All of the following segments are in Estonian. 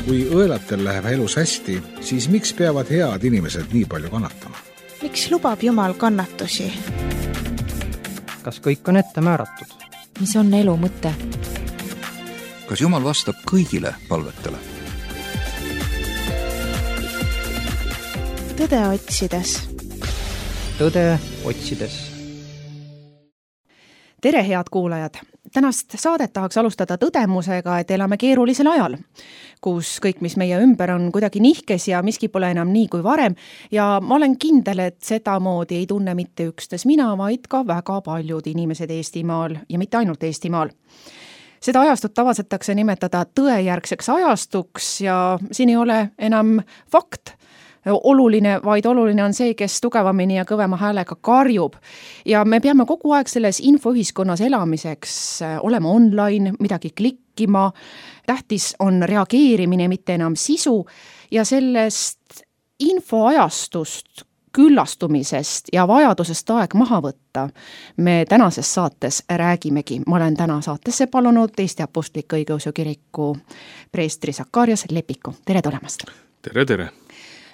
Kui õelatel läheb elus hästi, siis miks peavad head inimesed nii palju kannatama? Miks lubab Jumal kannatusi? Kas kõik on ette määratud? Mis on elu mõte? Kas Jumal vastab kõigile palvetele? Tõde otsides. Tõde otsides. Tere, head kuulajad! Tänast saadet tahaks alustada tõdemusega, et elame keerulisel ajal, kus kõik, mis meie ümber on kuidagi nihkes ja miski pole enam nii kui varem ja ma olen kindel, et seda moodi ei tunne mitte üksnes mina, vaid ka väga paljud inimesed Eestimaal ja mitte ainult Eestimaal. Seda ajastut tavatsetakse nimetada tõejärgseks ajastuks ja siin ei ole enam fakt oluline, vaid oluline on see, kes tugevamini ja kõvema häälega karjub. Ja me peame kogu aeg selles infoühiskonnas elamiseks olema online, midagi klikkima. Tähtis on reageerimine, mitte enam sisu ja sellest infoajastust, küllastumisest ja vajadusest aeg maha võtta me tänases saates räägimegi. Ma olen täna saatesse palunud Eesti Apostlik-Õigeusu Kiriku preestri Sakarias Lepiku. Tere tulemast! Tere!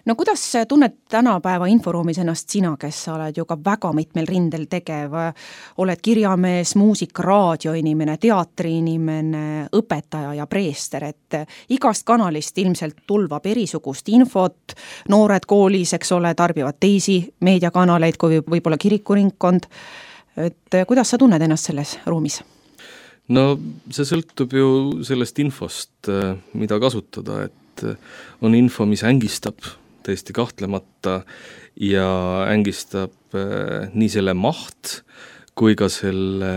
No kuidas tunned tänapäeva inforuumis ennast sina, kes sa oled ju ka väga mitmel rindel tegev, oled kirjamees, muusik, raadioinimene, teatriinimene, õpetaja ja preester, et igast kanalist ilmselt tulvab erisugust infot, noored koolis, eks ole, tarbivad teisi meediakanaleid kui võib-olla kirikuringkond, et kuidas sa tunned ennast selles ruumis? No see sõltub ju sellest infost, mida kasutada, et on info, mis ängistab tõesti kahtlemata ja ängistab nii selle maht kui ka selle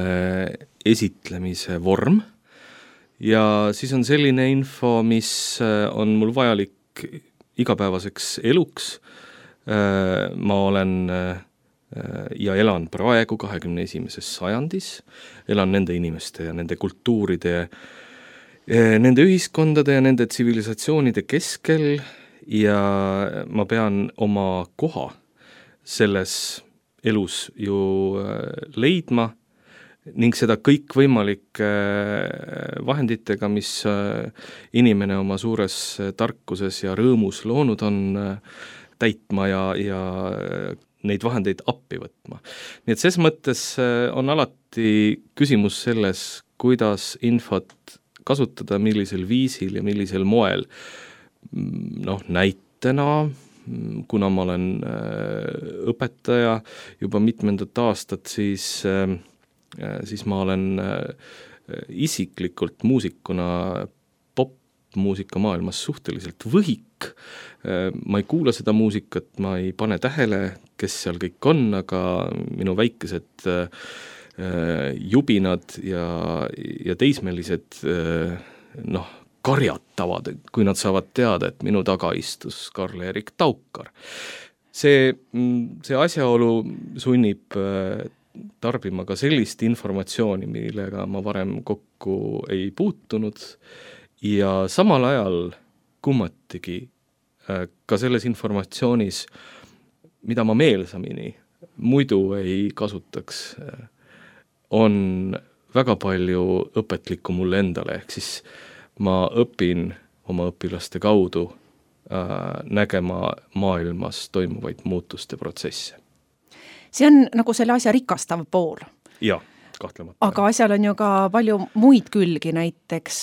esitlemise vorm. Ja siis on selline info, mis on mul vajalik igapäevaseks eluks. Ma olen ja elan praegu 21. sajandis, elan nende inimeste ja nende kultuuride, nende ühiskondade ja nende tsivilisatsioonide keskel ja ma pean oma koha selles elus ju leidma ning seda kõik võimalike vahenditega, mis inimene oma suures tarkuses ja rõõmus loonud on, täitma ja neid vahendeid appi võtma. Nii et ses mõttes on alati küsimus selles, kuidas infot kasutada, millisel viisil ja millisel moel. Näitena, kuna ma olen õpetaja juba mitmendat aastat, siis ma olen isiklikult muusikuna popmuusika maailmas suhteliselt võhik. Ma ei kuula seda muusikat, ma ei pane tähele, kes seal kõik on, aga minu väikesed jubinad ja teismelised karjatavad, kui nad saavad teada, et minu taga istus Karl-Erik Taukar. See asjaolu sunnib tarbima ka sellist informatsiooni, millega ma varem kokku ei puutunud ja samal ajal kummatigi ka selles informatsioonis, mida ma meelsamini muidu ei kasutaks, on väga palju õpetlikku mulle endale, ehk siis ma õpin oma õpilaste kaudu nägema maailmas toimuvaid muutuste protsesse. See on nagu selle asja rikastav pool. Jah, kahtlemata. Aga asjal on ju ka palju muid külgi, näiteks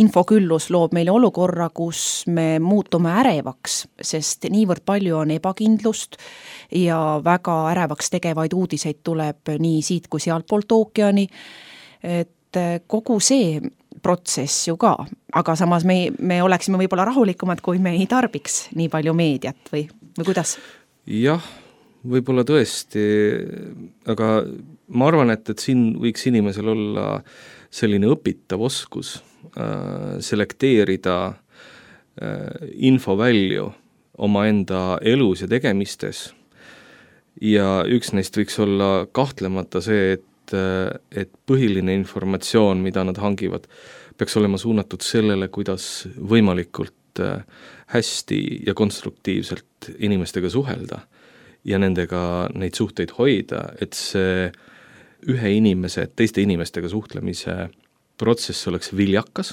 infoküllus loob meile olukorra, kus me muutume ärevaks, sest niivõrd palju on ebakindlust ja väga ärevaks tegevaid uudiseid tuleb nii siit kui sealt poolt ookeani, et kogu see protsess ju ka, aga samas me oleksime võib-olla rahulikumad, kui me ei tarbiks nii palju meediat või kuidas? Jah, võib-olla tõesti, aga ma arvan, et siin võiks inimesel olla selline õpitav oskus selekteerida infovälju omaenda elus ja tegemistes ja üks neist võiks olla kahtlemata see, et põhiline informatsioon, mida nad hangivad, peaks olema suunatud sellele, kuidas võimalikult hästi ja konstruktiivselt inimestega suhelda ja nendega neid suhteid hoida, et see teiste inimestega suhtlemise protsess oleks viljakas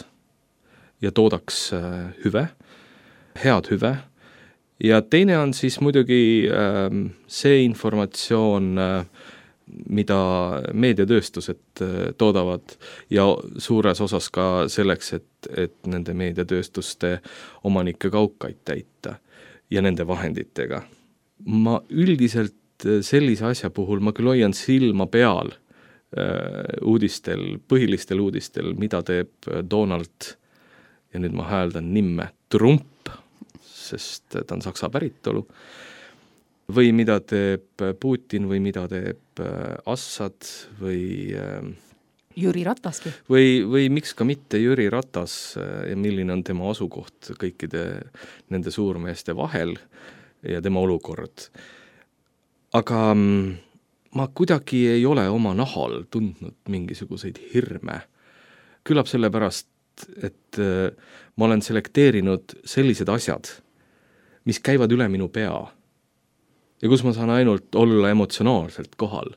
ja toodaks hüve, head hüve, ja teine on siis muidugi see informatsioon, mida meediatööstused toodavad ja suures osas ka selleks, et nende meediatööstuste omanike kaukaid täita ja nende vahenditega. Ma üldiselt sellise asja puhul ma küll hoian silma peal põhilistel uudistel, mida teeb Donald, ja nüüd ma hääldan nimme, Trump, sest ta on saksa päritolu, või mida teeb Putin või mida teeb Assad või Jüri Rataski. Või miks ka mitte Jüri Ratas ja milline on tema asukoht kõikide nende suurmeeste vahel ja tema olukord. Aga ma kuidagi ei ole oma nahal tundnud mingisuguseid hirme. Küllap sellepärast, et ma olen selekteerinud sellised asjad, mis käivad üle minu pea ja kus ma saan ainult olla emotsionaalselt kohal,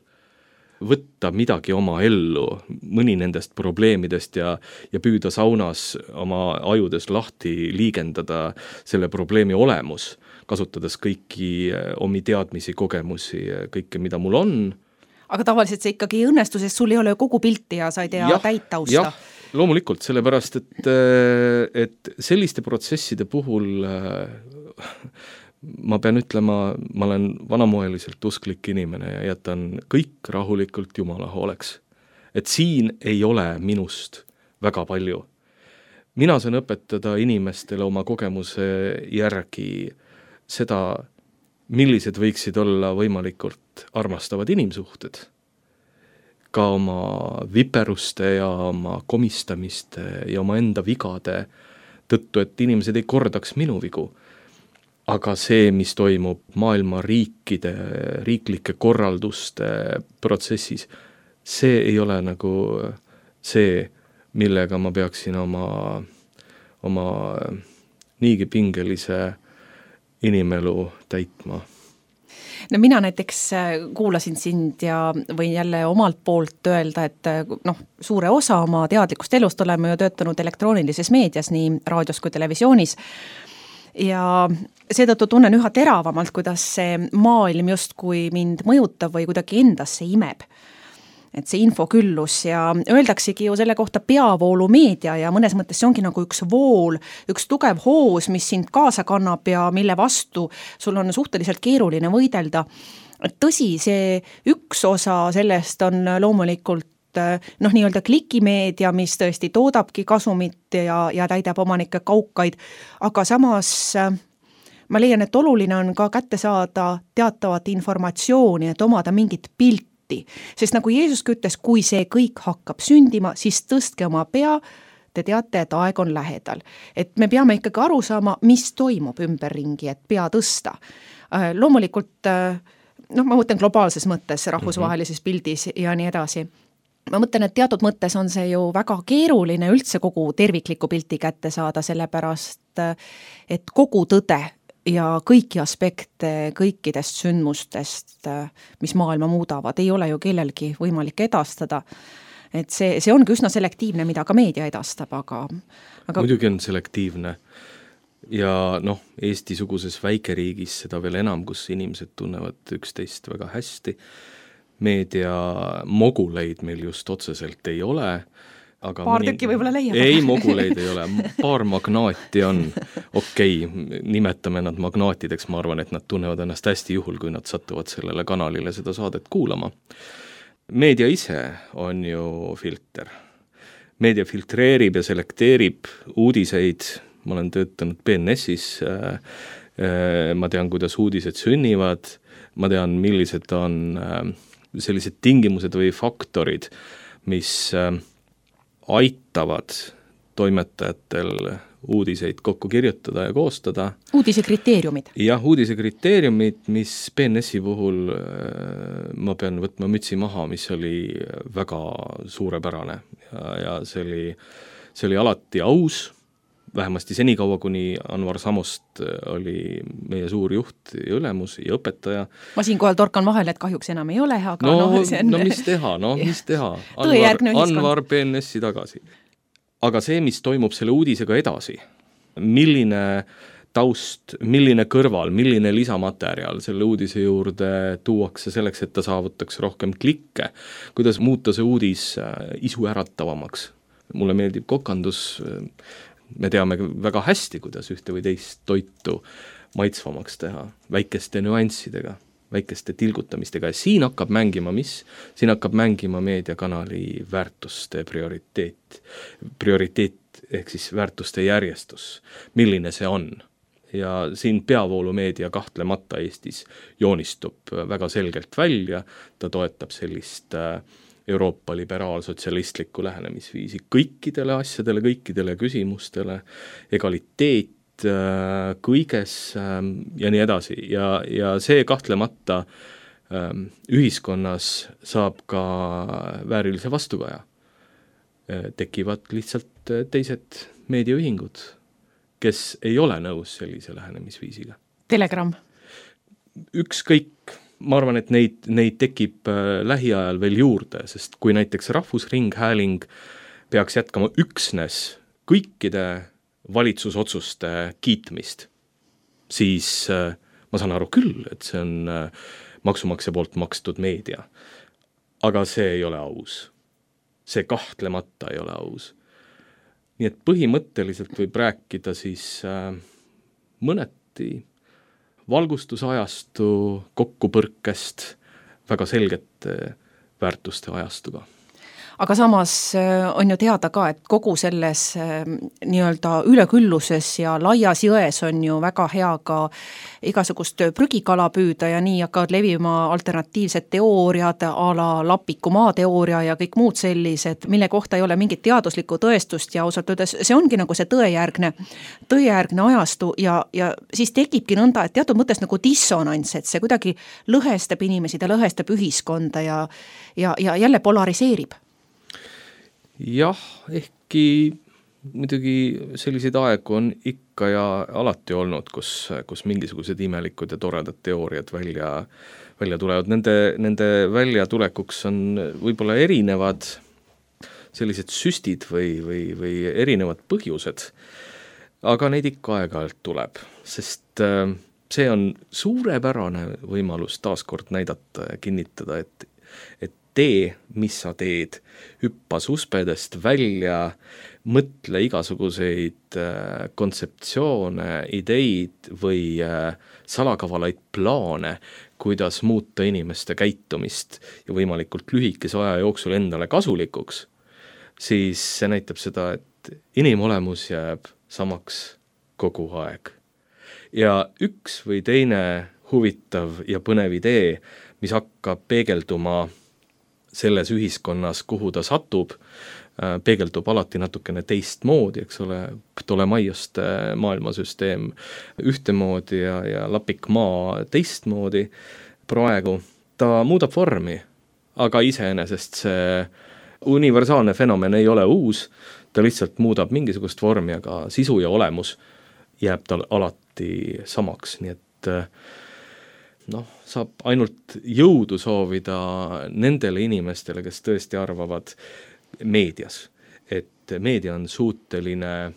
võtta midagi oma ellu, mõni nendest probleemidest ja püüda saunas oma ajudes lahti liigendada selle probleemi olemus, kasutades kõiki omi teadmisi, kogemusi, kõike, mida mul on. Aga tavaliselt see ikkagi ei õnnestu, sest sul ei ole kogu pilti ja sa ei tea täit tausta. Jah, loomulikult, sellepärast, et selliste protsesside puhul ma pean ütlema, ma olen vanamoeliselt usklik inimene ja jätan kõik rahulikult Jumala hooleks. Et siin ei ole minust väga palju. Mina saan õpetada inimestele oma kogemuse järgi seda, millised võiksid olla võimalikult armastavad inimsuhted. Ka oma viperuste ja oma komistamiste ja oma enda vigade tõttu, et inimesed ei kordaks minu vigu. Aga see, mis toimub maailma riikide, riiklike korralduste protsessis, see ei ole nagu see, millega ma peaksin oma niigi pingelise inimelu täitma. No mina näiteks kuulasin sind ja võin jälle omalt poolt öelda, et suure osa oma teadlikust elust oleme ju töötanud elektroonilises meedias, nii raadios kui televisioonis, ja seetõttu tunnen üha teravamalt, kuidas see maailm justkui mind mõjutab või kuidagi endasse imeb. Et see infoküllus ja öeldaksegi ju selle kohta peavoolumeedia ja mõnes mõttes see ongi nagu üks vool, üks tugev hoos, mis sind kaasa kannab ja mille vastu sul on suhteliselt keeruline võidelda. Tõsi, see üks osa sellest on loomulikult nii-öelda klikimeedia, mis tõesti toodabki kasumit ja täidab omanike kaukaid, aga samas ma leian, et oluline on ka kätte saada teatavat informatsiooni, et omada mingit pilti, sest nagu Jeesuski ütles, kui see kõik hakkab sündima, siis tõstke oma pea, te teate, et aeg on lähedal. Et me peame ikkagi aru saama, mis toimub ümberringi, et pea tõsta. Loomulikult, ma mõtlen globaalses mõttes, rahvusvahelises pildis ja nii edasi. Ma mõtlen, et teatud mõttes on see ju väga keeruline üldse kogu tervikliku pilti kätte saada, sellepärast, et kogu tõde ja kõiki aspekte kõikidest sündmustest, mis maailma muudavad, ei ole ju kellelgi võimalik edastada. Et see ongi üsna selektiivne, mida ka meedia edastab, aga... Muidugi on selektiivne ja Eesti-suguses väikeriigis seda veel enam, kus inimesed tunnevad üksteist väga hästi. Meedia moguleid meil just otseselt ei ole, aga paar tükki võib-olla leiab. Ei, moguleid ei ole, paar magnaati on. Okei, nimetame nad magnaatideks, ma arvan, et nad tunnevad ennast hästi juhul, kui nad satuvad sellele kanalile seda saadet kuulama. Meedia ise on ju filter. Meedia filtreerib ja selekteerib uudiseid, ma olen töötanud BNS-is, ma tean, kuidas uudised sünnivad, ma tean, millised on sellised tingimused või faktorid, mis aitavad toimetajatel uudiseid kokku kirjutada ja koostada. Uudise kriteeriumid. Jah, uudise kriteeriumid, mis BNS-i puhul ma pean võtma mütsi maha, mis oli väga suurepärane ja see oli alati aus, vähemasti senikaua, kuni Anvar Samost oli meie suur juht ja ülemus ja õpetaja. Ma siinkohal torkan vahel, et kahjuks enam ei ole, aga mis teha? Anvar BNS-i tagasi. aga see, mis toimub selle uudisega edasi, milline taust, milline kõrval, milline lisamaterjal selle uudise juurde tuuakse selleks, et ta saavutaks rohkem klikke, kuidas muuta see uudis isuäratavamaks. Mulle meeldib kokandus, me teame väga hästi, kuidas ühte või teist toitu maitsvamaks teha, väikeste nüanssidega, väikeste tilgutamistega ja siin hakkab mängima mis? Siin hakkab mängima meediakanali väärtuste prioriteet ehk siis väärtuste järjestus, milline see on. Ja siin peavoolumeedia kahtlemata Eestis joonistub väga selgelt välja, ta toetab sellist Euroopa liberaalsotsialistlikku lähenemisviisi kõikidele asjadele, kõikidele küsimustele, egaliteet kõiges ja nii edasi ja see kahtlemata ühiskonnas saab ka väärilise vastukaja. Tekivad lihtsalt teised meediaühingud, kes ei ole nõus sellise lähenemisviisiga. Telegram. Ükskõik, ma arvan, et neid tekib lähiajal veel juurde, sest kui näiteks Rahvusringhääling peaks jätkama üksnes kõikide valitsusotsuste kiitmist, siis ma saan aru küll, et see on maksumaksja poolt makstud meedia. Aga see ei ole aus. See kahtlemata ei ole aus. Nii et põhimõtteliselt võib rääkida siis mõneti valgustusajastu kokkupõrkest väga selgete väärtuste ajastuga. Aga samas on ju teada ka, et kogu selles nii-öelda ülekülluses ja laias jões on ju väga hea ka igasugust prügikala püüda ja nii hakkavad levima alternatiivsed teooriad, a la Lapiku maateooria ja kõik muud sellised, mille kohta ei ole mingit teaduslikku tõestust ja ausalt öeldes see ongi nagu see tõejärgne ajastu ja siis tekibki nõnda, et teatud mõttes nagu dissonants, et see kuidagi lõhestab inimesi, ta lõhestab ühiskonda ja jälle polariseerib. Jah, ehkki muidugi selliseid aegu on ikka ja alati olnud, kus mingisugused imelikud ja toredad teooriad välja tulevad. Nende väljatulekuks on võib-olla erinevad sellised süstid või erinevad põhjused, aga neid ikka aeg-ajalt tuleb, sest see on suurepärane võimalus taaskord näidata ja kinnitada, et tee, mis sa teed, hüppa suspedest välja, mõtle igasuguseid kontseptsioone, ideid või salakavalaid plaane, kuidas muuta inimeste käitumist ja võimalikult lühikese aja jooksul endale kasulikuks, siis see näitab seda, et inimolemus jääb samaks kogu aeg. Ja üks või teine huvitav ja põnev idee, mis hakkab peegelduma selles ühiskonnas, kuhu ta satub, peegeldub alati natukene teistmoodi, eks ole, Ptolemaioste maailmasüsteem ühtemoodi ja Lapikmaa teistmoodi praegu. Ta muudab vormi, aga iseenesest see universaalne fenomen ei ole uus, ta lihtsalt muudab mingisugust vormi, aga sisu ja olemus jääb tal alati samaks, nii et saab ainult jõudu soovida nendele inimestele, kes tõesti arvavad meedias, et meedia on suuteline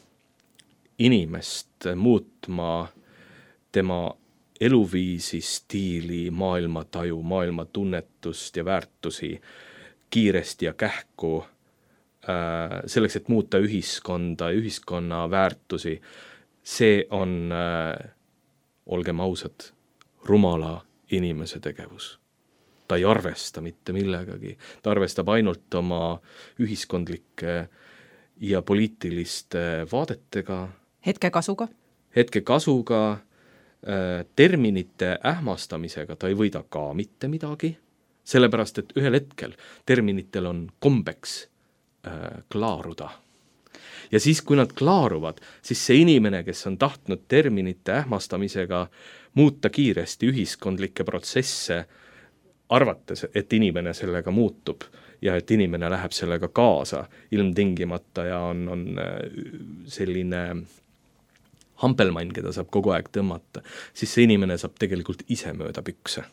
inimest muutma tema eluviisi, stiili, maailmataju, maailmatunnetust ja väärtusi kiiresti ja kähku selleks, et muuta ühiskonda, ühiskonna väärtusi. See on, olgem ausad, rumala inimese tegevus. Ta ei arvesta mitte millegagi, ta arvestab ainult oma ühiskondlike ja poliitiliste vaadetega. Hetkekasuga, terminite ähmastamisega ta ei võida ka mitte midagi, sellepärast et ühel hetkel terminitel on kombeks klaaruda. Ja siis, kui nad klaaruvad, siis see inimene, kes on tahtnud terminite ähmastamisega muuta kiiresti ühiskondlikke protsesse, arvates, et inimene sellega muutub ja et inimene läheb sellega kaasa ilmtingimata ja on selline hampelmann, keda saab kogu aeg tõmmata, siis see inimene saab tegelikult ise mööda pükse.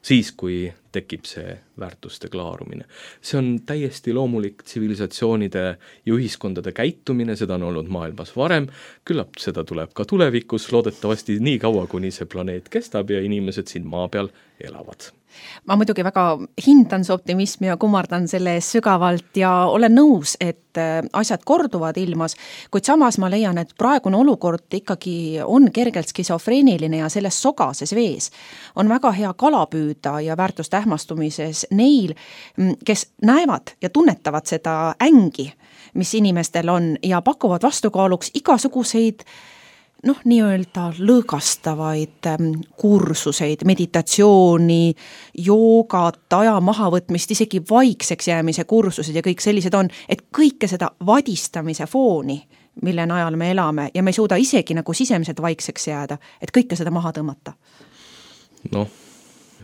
Siis, kui tekib see väärtuste klaarumine. See on täiesti loomulik tsivilisatsioonide ja ühiskondade käitumine, seda on olnud maailmas varem, küllap seda tuleb ka tulevikus, loodetavasti nii kaua, kuni see planeet kestab ja inimesed siin maa peal elavad. Ma muidugi väga hindan see optimismi ja kummardan selle ees sügavalt ja olen nõus, et asjad korduvad ilmas, kuid samas ma leian, et praegune olukord ikkagi on kergelt skisofreeniline ja selles sogases vees on väga hea kala püüda ja väärtuste ähmastumises neil, kes näevad ja tunnetavad seda ängi, mis inimestel on ja pakuvad vastukaaluks igasuguseid nii-öelda lõõgastavaid kursuseid, meditatsiooni, joogat, aja mahavõtmist, isegi vaikseks jäämise kursused ja kõik sellised on, et kõike seda vadistamise fooni, mille najal me elame ja me ei suuda isegi nagu sisemiselt vaikseks jääda, et kõike seda maha tõmmata.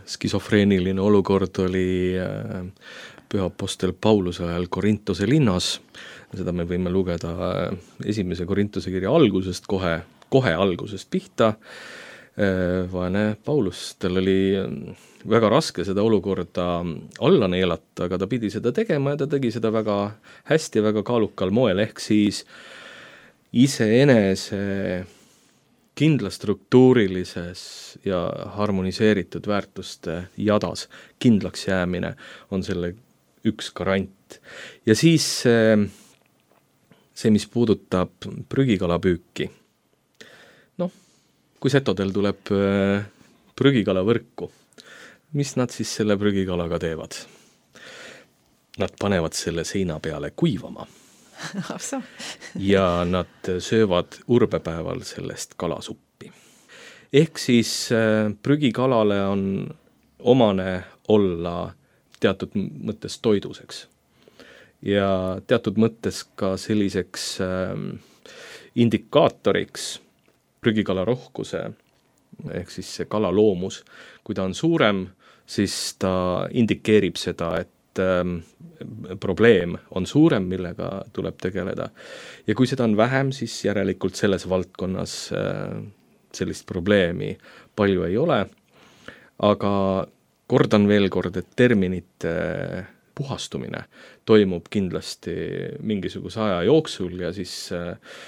Skisofreeniline olukord oli püha apostel Pauluse ajal Korintuse linnas, seda me võime lugeda esimese Korintuse kirja algusest kohe algusest pihta. Vaene Paulus, tal oli väga raske seda olukorda alla neelata, aga ta pidi seda tegema ja ta tegi seda väga hästi, väga kaalukal moel, ehk siis iseenese kindlastruktuurilises ja harmoniseeritud väärtuste jadas kindlaks jäämine on selle üks garant. Ja siis see, mis puudutab prügikalapüüki. Kui setodel tuleb prügikala võrku, mis nad siis selle prügikalaga teevad? Nad panevad selle seina peale kuivama ja nad söövad urbepäeval sellest kalasuppi. Ehk siis prügikalale on omane olla teatud mõttes toiduseks ja teatud mõttes ka selliseks indikaatoriks prügikala rohkuse, ehk siis see kala loomus. Kui ta on suurem, siis ta indikeerib seda, et probleem on suurem, millega tuleb tegeleda. Ja kui seda on vähem, siis järelikult selles valdkonnas sellist probleemi palju ei ole. Aga kordan veel kord, et terminite puhastumine toimub kindlasti mingisuguse aja jooksul ja siis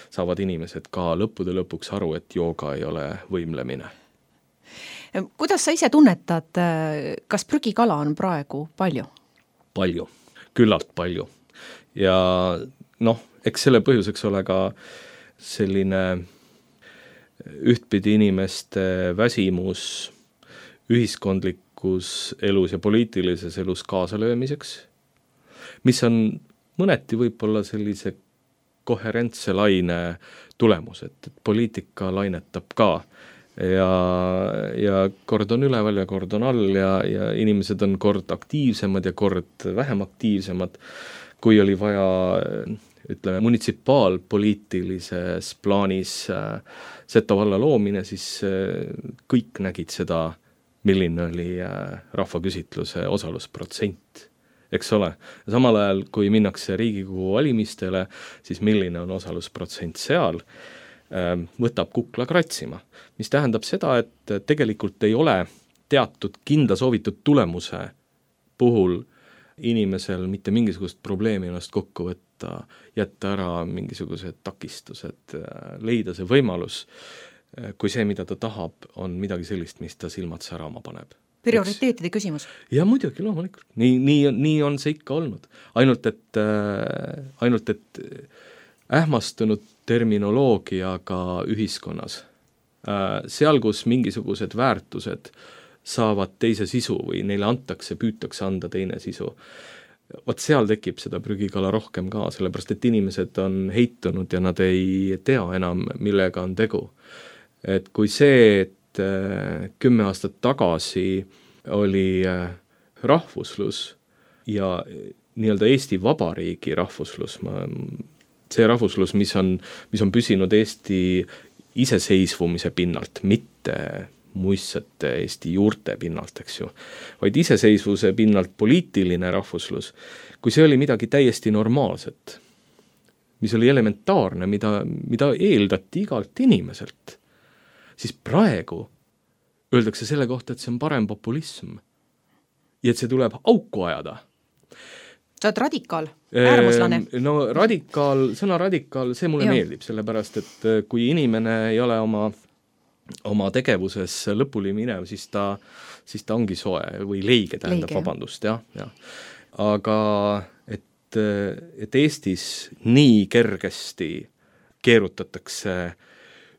saavad inimesed ka lõppude lõpuks aru, et jooga ei ole võimlemine. Kuidas sa ise tunnetad, kas prügikala on praegu palju? Palju, küllalt palju. Ja eks selle põhjuseks ole ka selline ühtpidi inimeste väsimus ühiskondlik elus ja poliitilises elus kaasalöömiseks, mis on mõneti võib-olla sellise koherentse laine tulemus, et poliitika lainetab ka ja kord on üleval ja kord on all ja inimesed on kord aktiivsemad ja kord vähem aktiivsemad. Kui oli vaja, ütleme, munitsipaalpoliitilises plaanis Seto valla loomine, siis kõik nägid seda, milline oli rahvaküsitluse osalusprotsent, eks ole. Ja samal ajal, kui minnakse Riigikogu valimistele, siis milline on osalusprotsent seal, võtab kukla kratsima. Mis tähendab seda, et tegelikult ei ole teatud kindla soovitud tulemuse puhul inimesel mitte mingisugust probleemi ennast kokku võtta, jätta ära mingisugused takistused, leida see võimalus, kui see, mida ta tahab, on midagi sellist, mis ta silmad särama paneb. Prioriteetide küsimus. Ja muidugi, loomulikult. Nii on see ikka olnud. Ainult, et ähmastunud terminoloogiaga ühiskonnas. Seal, kus mingisugused väärtused saavad teise sisu või neile püütakse anda teine sisu. Vaat seal tekib seda prügikala rohkem ka, sellepärast et inimesed on heitunud ja nad ei tea enam, millega on tegu. Et kui see, et 10 aastat tagasi oli rahvuslus ja nii-öelda Eesti Vabariigi rahvuslus, see rahvuslus, mis on püsinud Eesti iseseisvumise pinnalt, mitte muistsete Eesti juurte pinnalt, eks ju, vaid iseseisvuse pinnalt poliitiline rahvuslus, kui see oli midagi täiesti normaalset, mis oli elementaarne, mida eeldati igalt inimeselt, siis praegu öeldakse selle kohta, et see on parem populism. ja et see tuleb auku ajada. Sa oled radikaal, äärmuslane. No sõna radikaal, see mulle meeldib, sellepärast, et kui inimene ei ole oma tegevuses lõpuni minev, siis ta ongi soe või leige, tähendab, vabandust, jah. Aga et Eestis nii kergesti keerutatakse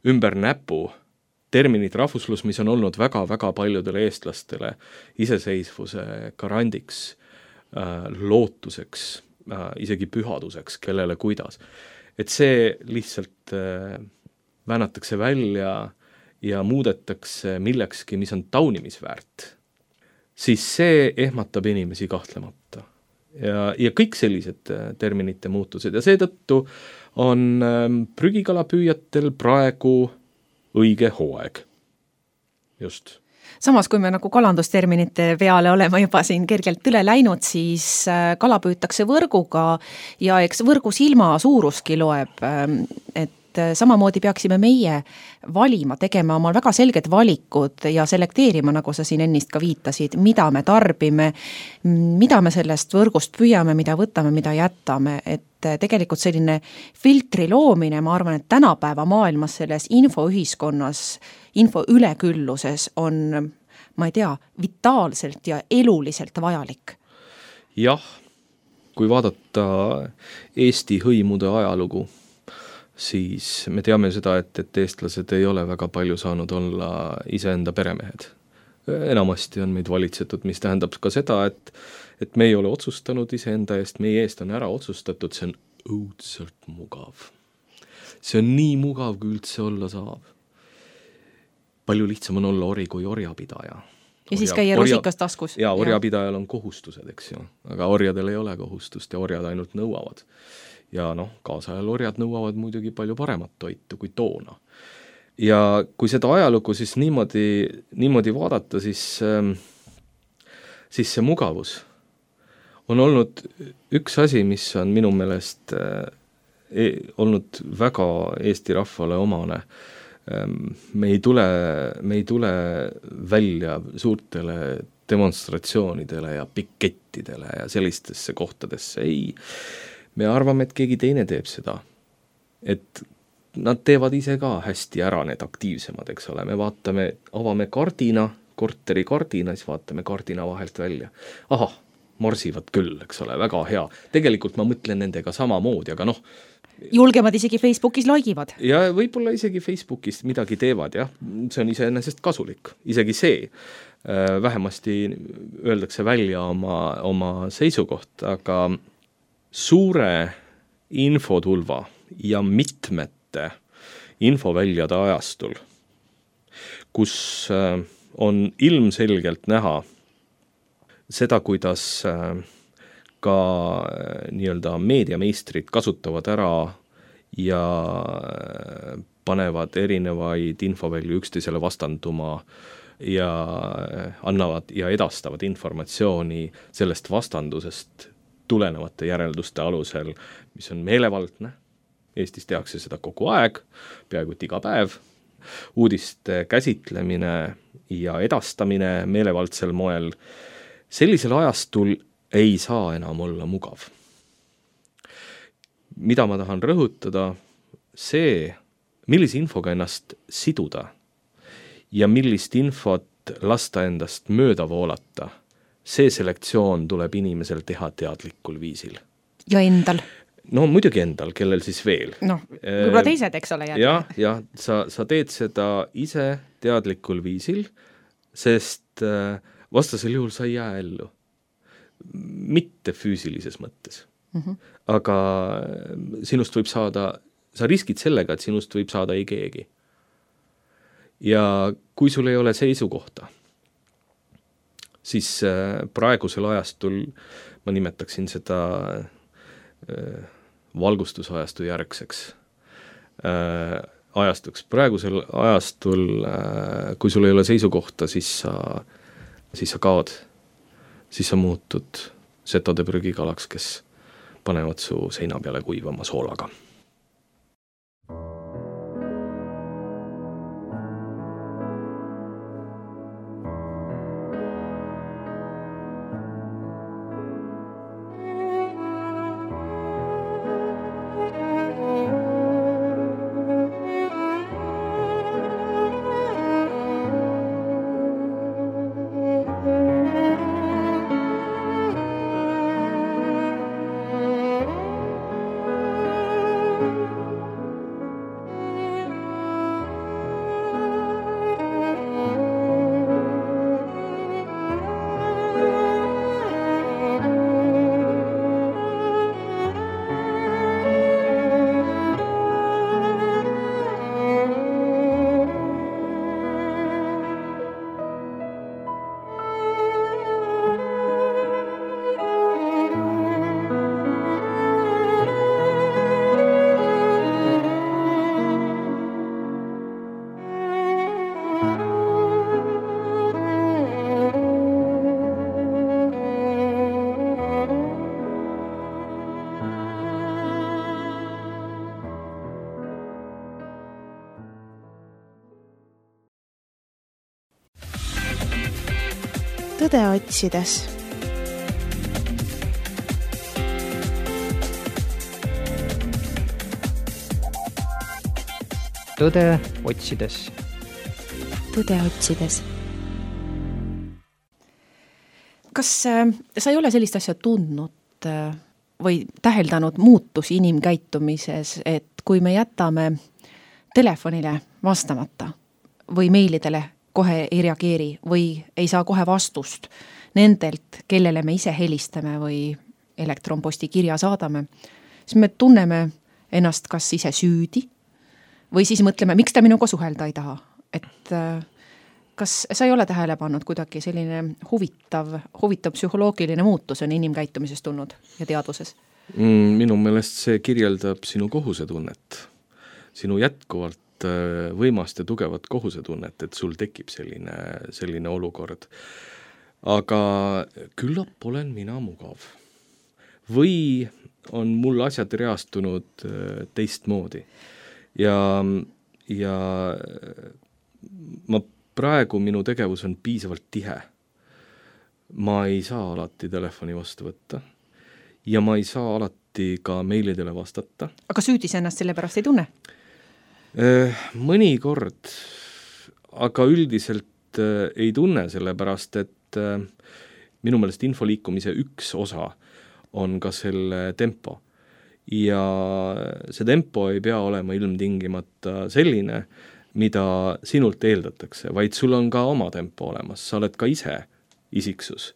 ümber näpu terminid rahvuslus, mis on olnud väga-väga paljudele eestlastele iseseisvuse garandiks, lootuseks, isegi pühaduseks, kellele kuidas. Et see lihtsalt väänatakse välja ja muudetakse millekski, mis on taunimisväärt, siis see ehmatab inimesi kahtlemata. Ja kõik sellised terminite muutused ja seetõttu on prügikalapüüjatel praegu õige hooaeg. Just. Samas, kui me nagu kalandusterminite peale oleme juba siin kergelt üle läinud, siis kala püütakse võrguga ja eks võrgu silma suuruski loeb, et samamoodi peaksime meie valima, tegema omal väga selged valikud ja selekteerima, nagu sa siin ennist ka viitasid, mida me tarbime, mida me sellest võrgust püüame, mida võtame, mida jätame, et tegelikult selline filtri loomine, ma arvan, et tänapäeva maailmas selles infoühiskonnas, info ülekülluses on, ma ei tea, vitaalselt ja eluliselt vajalik. Jah, kui vaadata Eesti hõimude ajalugu, siis me teame seda, et eestlased ei ole väga palju saanud olla iseenda peremehed. Enamasti on meid valitsetud, mis tähendab ka seda, et me ei ole otsustanud iseenda eest, meie eest on ära otsustatud, see on õudselt mugav. See on nii mugav, kui üldse olla saab. Palju lihtsam on olla ori kui orjapidaja. Ja siis käia rusikas taskus. Ja orjapidajal on kohustused, eks ju. Aga orjadel ei ole kohustust ja orjad ainult nõuavad. Ja kaasajal orjad nõuavad muidugi palju paremat toitu kui toona. Ja kui seda ajalugu siis niimoodi vaadata, siis see mugavus on olnud üks asi, mis on minu meelest olnud väga Eesti rahvale omane. Me ei tule välja suurtele demonstratsioonidele ja pikettidele ja sellistesse kohtadesse, ei. Me arvame, et keegi teine teeb seda. Et nad teevad ise ka hästi ära need aktiivsemad, eks ole. Me avame kardina, korteri kardina, siis vaatame kardina vahelt välja. Ahah, marsivad küll, eks ole, väga hea. Tegelikult ma mõtlen nendega samamoodi, aga julgemad isegi Facebookis laigivad. Ja võib-olla isegi Facebookis midagi teevad, jah. See on iseenesest kasulik. Isegi see. Vähemasti öeldakse välja oma seisukoht, aga suure infotulva ja mitmete infoväljade ajastul, kus on ilmselgelt näha seda, kuidas ka nii-öelda meediameistrid kasutavad ära ja panevad erinevaid infovälju üksteisele vastanduma ja annavad ja edastavad informatsiooni sellest vastandusest tulenevate järelduste alusel, mis on meelevaldne. Eestis tehakse seda kogu aeg, peaaegu iga päev. Uudiste käsitlemine ja edastamine meelevaldsel moel. Sellisel ajastul ei saa enam olla mugav. Mida ma tahan rõhutada, see, millise infoga ennast siduda ja millist infot lasta endast mööda voolata, see selektsioon tuleb inimesel teha teadlikul viisil. Ja endal? No muidugi endal, kellel siis veel. Võib-olla teised, eks ole. Ja sa teed seda ise teadlikul viisil, sest vastasel juhul sa ei jää ellu. Mitte füüsilises mõttes. Aga sinust võib saada, sa riskid sellega, et sinust võib saada ei keegi. Ja kui sul ei ole seisukohta, siis praegusel ajastul, ma nimetaksin seda valgustusajastu järgseks ajastuks. Praegusel ajastul, kui sul ei ole seisukohta, siis sa kaod, siis sa muutud setode prügikalaks, kes panevad su seina peale kuivama soolaga. tõde otsides. Tõde otsides. Tõde otsides. Kas sa ei ole sellist asja tundnud või täheldanud muutusi inimkäitumises, et kui me jätame telefonile vastamata või meilidele kohe ei reageeri või ei saa kohe vastust nendelt, kellele me ise helistame või elektronposti kirja saadame, siis me tunneme ennast kas ise süüdi või siis mõtleme, miks ta minuga suhelda ei taha. Et kas sa ei ole tähele pannud kuidagi selline huvitav psühholoogiline muutus on inimkäitumises tulnud ja teaduses? Minu meelest see kirjeldab sinu kohusetunnet, sinu jätkuvalt võimast ja tugevat kohusetunnet, et sul tekib selline olukord. Aga küllap olen mina mugav. Või on mul asjad reastunud teistmoodi. Ja praegu minu tegevus on piisavalt tihe. Ma ei saa alati telefoni vastu võtta ja ma ei saa alati ka meilidele vastata. Aga süüdis ennast selle pärast ei tunne? Mõnikord, aga üldiselt ei tunne selle pärast, et minu meelest infoliikumise üks osa on ka selle tempo. Ja see tempo ei pea olema ilmtingimata selline, mida sinult eeldatakse, vaid sul on ka oma tempo olemas, sa oled ka ise isiksus.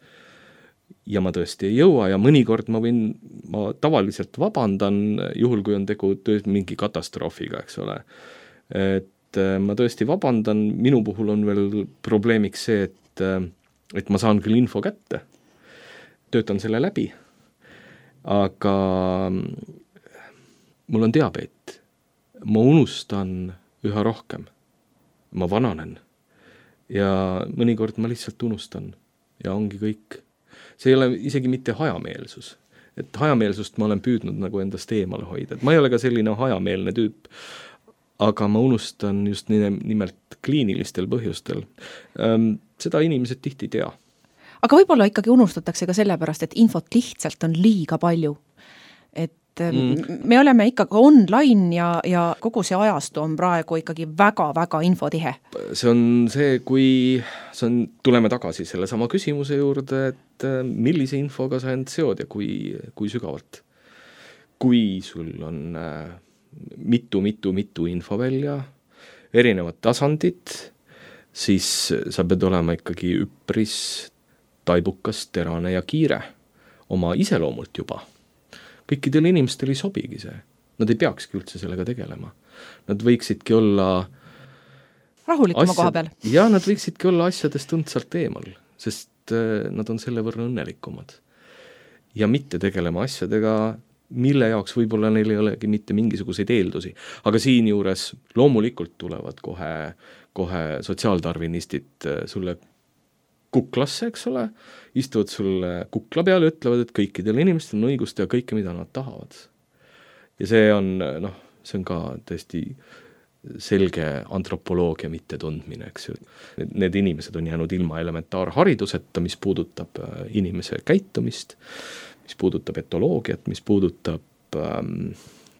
Ja ma tõesti ei jõua ja mõnikord ma tavaliselt vabandan, juhul kui on tegu mingi katastroofiga, eks ole. Et ma tõesti vabandan, minu puhul on veel probleemiks see, et ma saan küll info kätte, töötan selle läbi, aga mul on diabeet. Ma unustan üha rohkem. Ma vananen ja mõnikord ma lihtsalt unustan ja ongi kõik. See ei ole isegi mitte hajameelsus. Et hajameelsust ma olen püüdnud nagu endast eemale hoida. Et ma ei ole ka selline hajameelne tüüp, aga ma unustan just nimelt kliinilistel põhjustel. Seda inimesed tihti tea. Aga võib-olla ikkagi unustatakse ka sellepärast, et infot lihtsalt on liiga palju. Et me oleme ikkagi online ja kogu see ajastu on praegu ikkagi väga-väga infotihe. See on see, tuleme tagasi selle sama küsimuse juurde, et millise infoga sa end seod ja kui sügavalt. Kui sul on mitu info välja, erinevad tasandid, siis sa pead olema ikkagi üpris taibukas, terane ja kiire oma iseloomult juba. Kõikidel inimestel ei sobigi see. Nad ei peakski üldse sellega tegelema. Nad võiksidki olla rahulikuma koha peal. Ja nad võiksidki olla asjadest tundsalt eemal, sest nad on selle võrra õnnelikumad. Ja mitte tegelema asjadega, mille jaoks võib-olla neil ei olegi mitte mingisuguseid eeldusi. Aga siin juures loomulikult tulevad kohe sotsiaaldarvinistid sulle kuklasse, eks ole, istuvad sulle kukla peal ja ütlevad, et kõikidel inimestel on õigust ja kõike, mida nad tahavad. Ja see on ka tõesti selge antropoloogia mitte tundmine, eks ju. Need inimesed on jäänud ilma elementaarhariduseta, mis puudutab inimese käitumist, mis puudutab etoloogiat, mis puudutab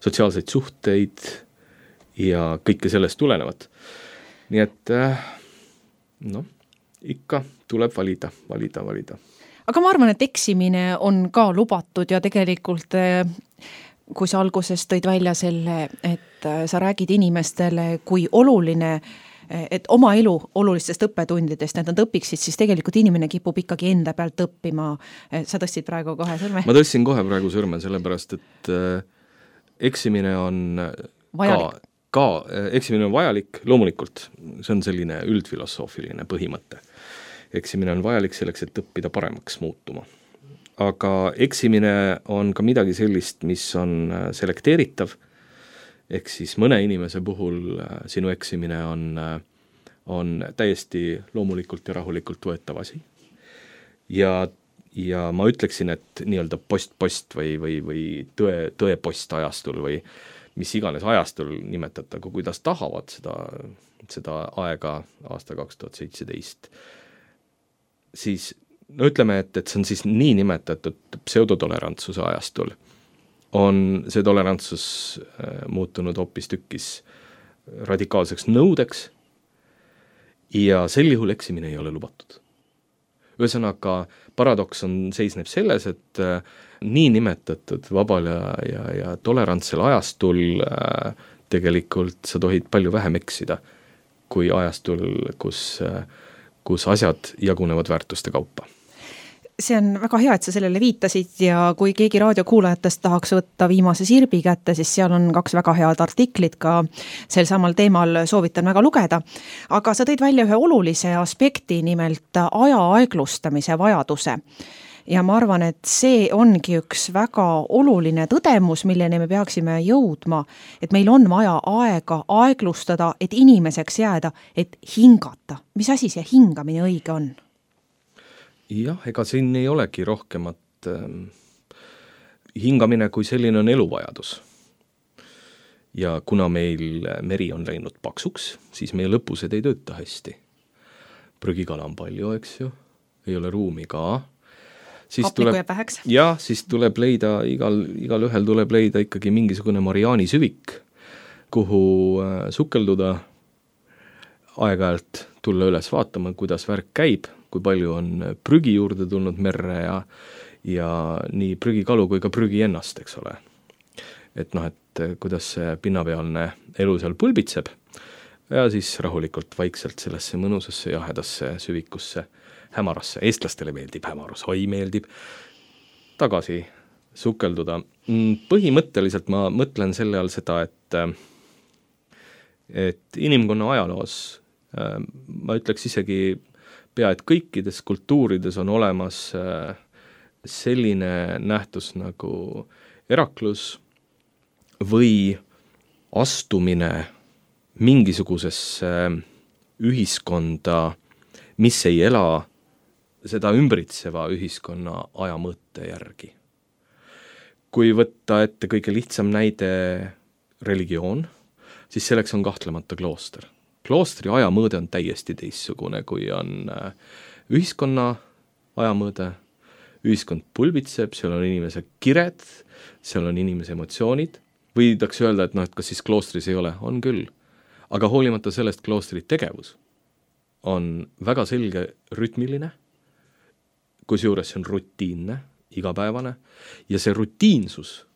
sotsiaalseid suhteid ja kõike sellest tulenevat. Nii et ikka tuleb valida. Aga ma arvan, et eksimine on ka lubatud ja tegelikult, kui sa alguses tõid välja selle, et sa räägid inimestele, kui oluline, et oma elu olulistest õppetundidest, et nad õpiksid, siis tegelikult inimene kipub ikkagi enda pealt õppima. Sa tõstsid praegu kohe sõrme? Ma tõstsin kohe praegu sõrme, sellepärast, et eksimine on vajalik. Eksimine on vajalik, loomulikult, see on selline üldfilosoofiline põhimõte. Eksimine on vajalik selleks, et õppida paremaks muutuma. Aga eksimine on ka midagi sellist, mis on selekteeritav, ehk siis mõne inimese puhul sinu eksimine on täiesti loomulikult ja rahulikult võetav asi. Ja ma ütleksin, et nii-öelda post või tõepost ajastul või mis iganes ajastul nimetatakse, kuidas tahavad seda aega aasta 2017, siis no ütleme, et see on siis niinimetatud pseudotolerantsuse ajastul, on see tolerantsus muutunud hoopis tükkis radikaalseks nõudeks ja sel juhul eksimine ei ole lubatud. Ühesõnaga, paradoks seisneb selles, et niinimetatud vabal ja tolerantsel ajastul tegelikult sa tohid palju vähem eksida kui ajastul, kus asjad jagunevad väärtuste kaupa. See on väga hea, et sa sellele viitasid ja kui keegi raadiokuulajatest tahaks võtta viimase sirbi kätte, siis seal on 2 väga head artiklit ka sel samal teemal, soovitan väga lugeda. Aga sa tõid välja ühe olulise aspekti, nimelt aja aeglustamise vajaduse. Ja ma arvan, et see ongi üks väga oluline tõdemus, milleni me peaksime jõudma, et meil on vaja aega aeglustada, et inimeseks jääda, et hingata. Mis asi see hingamine õige on? Jah, ega siin ei olegi rohkemat hingamine, kui selline on eluvajadus. Ja kuna meil meri on läinud paksuks, siis meie lõpused ei tööta hästi. Prügikala on palju, eks ju, ei ole ruumi ka. Hapnikku jääb väheks. Jah, siis tuleb leida, igal ühel tuleb leida ikkagi mingisugune Mariani süvik, kuhu sukelduda, aeg-ajalt tulla üles vaatama, kuidas värk käib, kui palju on prügi juurde tulnud merre ja nii prügikalu kui ka prügi ennast, eks ole. Et kuidas see pinnapealne elu seal pulbitseb ja siis rahulikult vaikselt sellesse mõnusasse jahedasse süvikusse, hämarasse, eestlastele meeldib hämarus, meeldib tagasi sukelduda. Põhimõtteliselt ma mõtlen selle all seda, et inimkonna ajaloos, ma ütleks isegi pea, et kõikides kultuurides on olemas selline nähtus nagu eraklus või astumine mingisugusesse ühiskonda, mis ei ela seda ümbritseva ühiskonna ajamõtte järgi. Kui võtta ette kõige lihtsam näide religioon, siis selleks on kahtlemata klooster. Kloostri ajamõõde on täiesti teistsugune, kui on ühiskonna ajamõõde. Ühiskond pulbitseb, seal on inimese kired, seal on inimese emotsioonid. Võidaks öelda, et kas siis kloostris ei ole? On küll. Aga hoolimata sellest kloostri tegevus on väga selge rütmiline, kusjuures see on rutiinne, igapäevane, ja see rutiinsus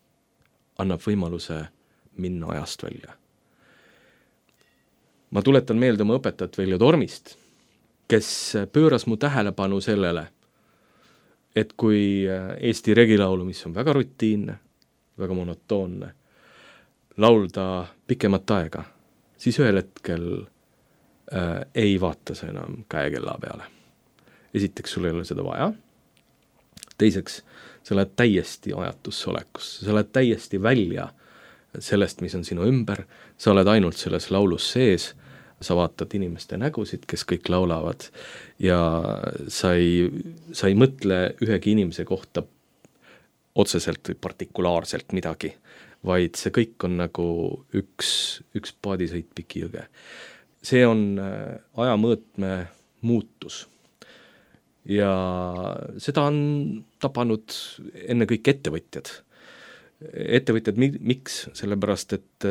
annab võimaluse minna ajast välja. Ma tuletan meelde oma õpetajat Veljo Tormist, kes pööras mu tähelepanu sellele, et kui Eesti regilaulu, mis on väga rutiinne, väga monotoonne, laulda pikemat aega, siis ühel hetkel ei vaata see enam käekella peale. Esiteks, sul ei ole seda vaja. Teiseks, sa oled täiesti ajatusse olekusse, sa oled täiesti välja sellest, mis on sinu ümber, sa oled ainult selles laulus sees, sa vaatad inimeste nägusid, kes kõik laulavad ja sa ei mõtle ühegi inimese kohta otseselt või partikulaarselt midagi, vaid see kõik on nagu üks paadisõit Piki jõge. See on ajamõõtme muutus ja seda on tapanud ennekõike ettevõtjad. Ettevõtjad miks? Sellepärast, et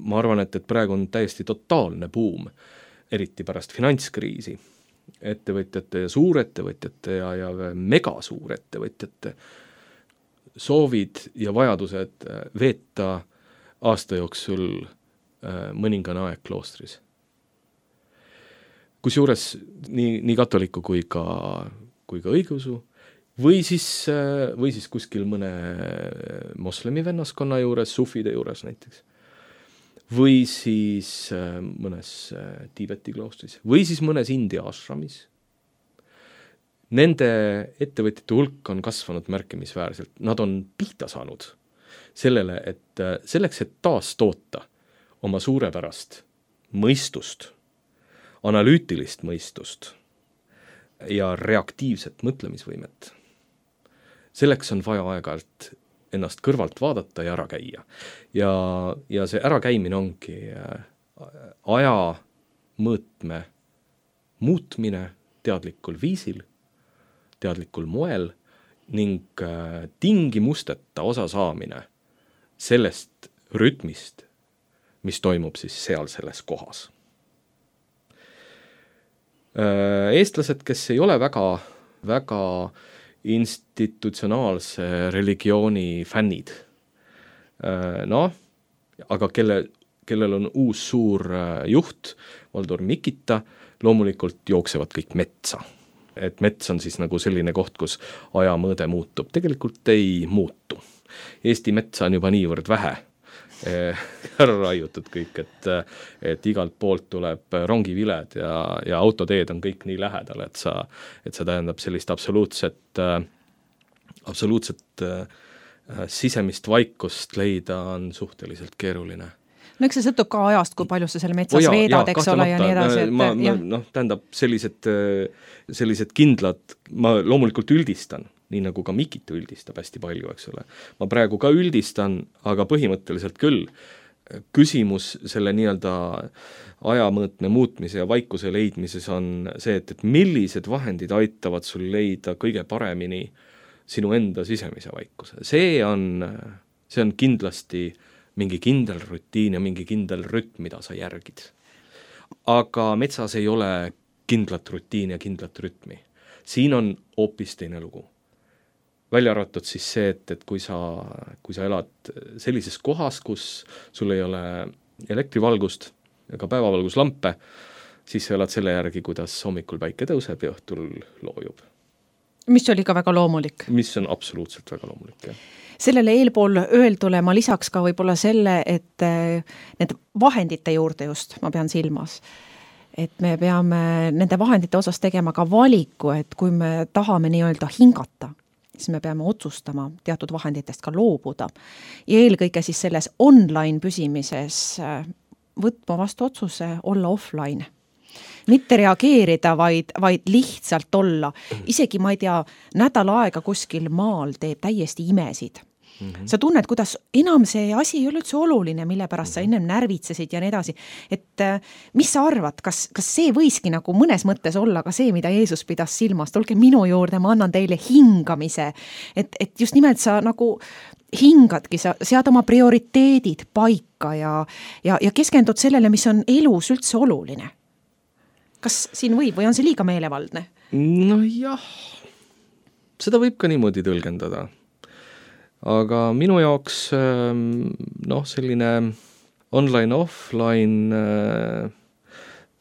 ma arvan, et praegu on täiesti totaalne buum, eriti pärast finantskriisi, ettevõtjate ja suurettevõtjate ja megasuurettevõtjate soovid ja vajadused veeta aasta jooksul mõningane aeg kloostris. Kusjuures nii katoliku kui ka õigeusu või siis kuskil mõne moslemi vennaskonna juures, sufide juures näiteks, või siis mõnes Tiibeti kloostris, või siis mõnes India ashramis. Nende ettevõtjate hulk on kasvanud märkimisväärselt. Nad on pihta saanud sellele, et selleks, et taas toota oma suurepärast mõistust, analüütilist mõistust ja reaktiivset mõtlemisvõimet, selleks on vaja aeg-ajalt ennast kõrvalt vaadata ja ära käia. Ja see ärakäimine ongi aja mõõtme muutmine teadlikul viisil, teadlikul moel ning tingimusteta osa saamine sellest rütmist, mis toimub siis seal selles kohas. Eestlased, kes ei ole väga institutsionaalse religiooni fännid, aga kellel on uus suur juht, Valdur Mikita, loomulikult jooksevad kõik metsa. Et mets on siis nagu selline koht, kus aja mõõde muutub. Tegelikult ei muutu. Eesti metsa on juba niivõrd vähe ära raiutud kõik, et igalt poolt tuleb rongiviled ja autoteed on kõik nii lähedal, et see tähendab sellist absoluutset sisemist vaikust leida on suhteliselt keeruline. No eks see sõltub ka ajast, kui palju sa selle metsas veedad, eks ole, ja nii edasi. Tähendab sellised kindlad, ma loomulikult üldistan, nii nagu ka Mikit üldistab hästi palju, eks ole. Ma praegu ka üldistan, aga põhimõtteliselt küll. Küsimus selle nii-öelda ajamõõtme muutmise ja vaikuse leidmises on see, et millised vahendid aitavad sul leida kõige paremini sinu enda sisemise vaikuse. See on kindlasti mingi kindel rutiin ja mingi kindel rütm, mida sa järgid. Aga metsas ei ole kindlat rutiini ja kindlat rütmi. Siin on hoopis teine lugu. Välja arvatud siis see, et kui sa elad sellises kohas, kus sul ei ole elektrivalgust ega päevavalguslampe, siis sa elad selle järgi, kuidas hommikul päike tõuseb ja õhtul loojub. Mis oli ka väga loomulik. Mis on absoluutselt väga loomulik, jah. Sellele eelpool öeldule ma lisaks ka võib-olla selle, et need vahendite juurde just, ma pean silmas, et me peame nende vahendite osas tegema ka valiku, et kui me tahame nii-öelda hingata, siis me peame otsustama teatud vahenditest ka loobuda. Ja eelkõige siis selles online püsimises võtma vastu otsuse olla offline. Mitte reageerida, vaid lihtsalt olla. Isegi, ma ei tea, nädal aega kuskil maal teeb täiesti imesid. Sa tunned, kuidas enam see asi ei ole üldse oluline, mille pärast sa ennem närvitsesid ja nii edasi. Et mis sa arvad, kas see võiski nagu mõnes mõttes olla ka see, mida Jeesus pidas silmas? Tulge minu juurde, ma annan teile hingamise. Et just nimelt sa nagu hingadki, sa sead oma prioriteedid paika ja keskendud sellele, mis on elus üldse oluline. Kas siin võib või on see liiga meelevaldne? No jah, seda võib ka niimoodi tõlgendada. Aga minu jaoks selline online-offline,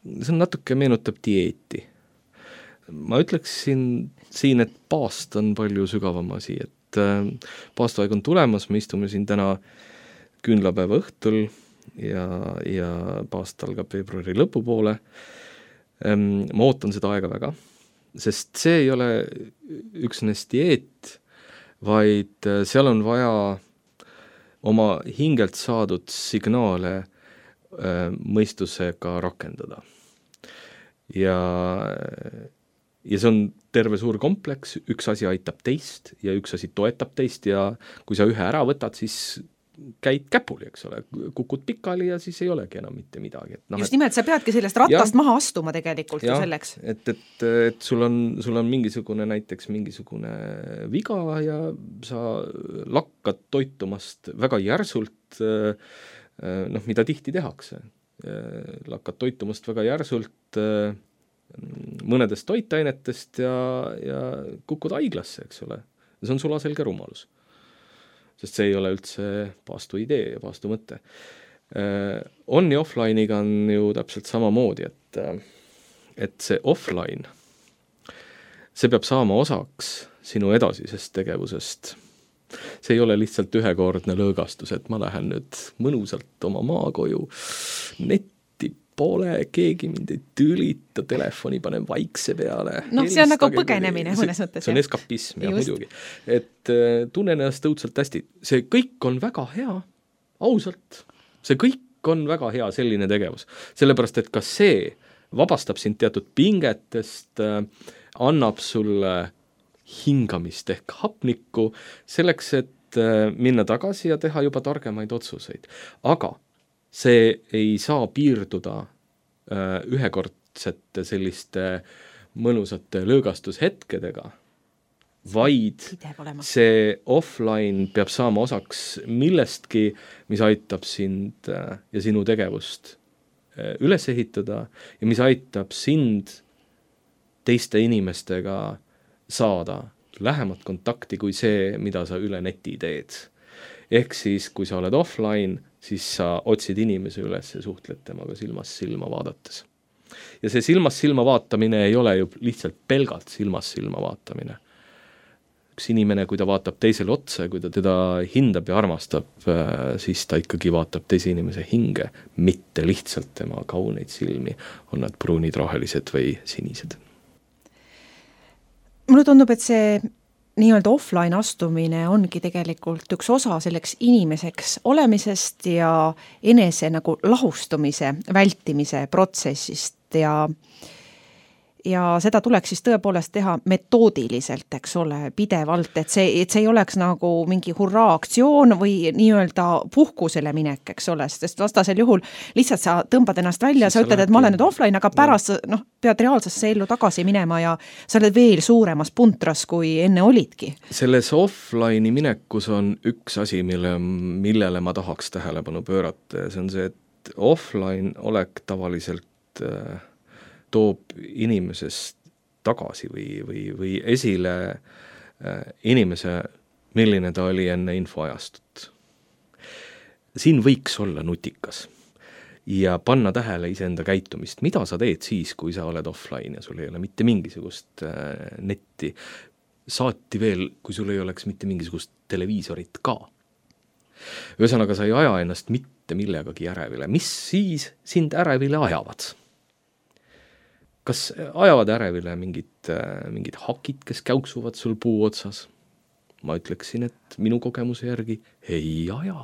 see natuke meenutab dieeti. Ma ütleksin siin, et paast on palju sügavam asi, et paastuaeg on tulemas, me istume siin täna küünlapäeva õhtul ja paast algab veebruari lõpupoole. Ma ootan seda aega väga, sest see ei ole üksnes dieet, vaid seal on vaja oma hingelt saadud signaale mõistusega rakendada. Ja see on terve suur kompleks, üks asi aitab teist ja üks asi toetab teist ja kui sa ühe ära võtad, siis käid käpuli, eks ole, kukud pikali ja siis ei olegi enam mitte midagi. Just nimelt, sa peadki sellest ratast maha astuma tegelikult ju selleks. Et sul on näiteks mingisugune viga ja sa lakkad toitumast väga järsult, mida tihti tehakse. Lakkad toitumast väga järsult mõnedest toitainetest ja kukud haiglasse, eks ole. See on sulaselge rumalus. Sest see ei ole üldse paastu idee ja paastu mõte. On ja offline'iga on ju täpselt samamoodi, et see offline, see peab saama osaks sinu edasisest tegevusest. See ei ole lihtsalt ühekordne lõõgastus, et ma lähen nüüd mõnusalt oma maakoju, netti pole, keegi mind ei tülita, telefoni panen vaikse peale. See on nagu põgenemine mõnes mõttes. See on eskapism ja muidugi. Et tunnen ennast õudselt hästi. See kõik on väga hea, ausalt. See kõik on väga hea selline tegevus. Sellepärast, et kas see vabastab sind teatud pingetest, annab sulle hingamist ehk hapnikku selleks, et minna tagasi ja teha juba targemaid otsuseid. Aga see ei saa piirduda ühekordsete selliste mõnusate lõõgastushetkedega, vaid see offline peab saama osaks millestki, mis aitab sind ja sinu tegevust üles ehitada ja mis aitab sind teiste inimestega saada lähemat kontakti kui see, mida sa üle neti teed. Ehk siis, kui sa oled offline, siis sa otsid inimese üles ja suhtled temaga silmast silma vaadates. Ja see silmast silma vaatamine ei ole ju lihtsalt pelgalt silmast silma vaatamine. Üks inimene, kui ta vaatab teisele otsa, kui ta teda hindab ja armastab, siis ta ikkagi vaatab teise inimese hinge, mitte lihtsalt tema kauneid silmi, on nad pruunid, rohelised või sinised. Mulle tundub, et see nii-öelda offline astumine ongi tegelikult üks osa selleks inimeseks olemisest ja enese nagu lahustumise, vältimise protsessist ja seda tuleks siis tõepoolest teha metoodiliselt, eks ole, pidevalt, et see ei oleks nagu mingi hurraa-aktsioon või nii-öelda puhkusele minek, eks ole, sest vastasel juhul lihtsalt sa tõmbad ennast välja, sa ütled, et ma olen nüüd offline, aga pärast pead reaalsesse ellu tagasi minema ja sa oled veel suuremas puntras, kui enne olidki. Selles offline'i minekus on üks asi, millele ma tahaks tähelepanu pöörata ja see on see, et offline olek tavaliselt toob inimesest tagasi või esile inimese, milline ta oli enne infoajastut. Siin võiks olla nutikas ja panna tähele iseenda käitumist, mida sa teed siis, kui sa oled offline ja sul ei ole mitte mingisugust netti. Saati veel, kui sul ei oleks mitte mingisugust televiisorit ka. Ühesõnaga, sa ei aja ennast mitte millegagi ärevile. Mis siis sind ärevile ajavad? Kas ajavad ärevile mingid hakid, kes käuksuvad sul puu otsas? Ma ütleksin, et minu kogemuse järgi ei aja.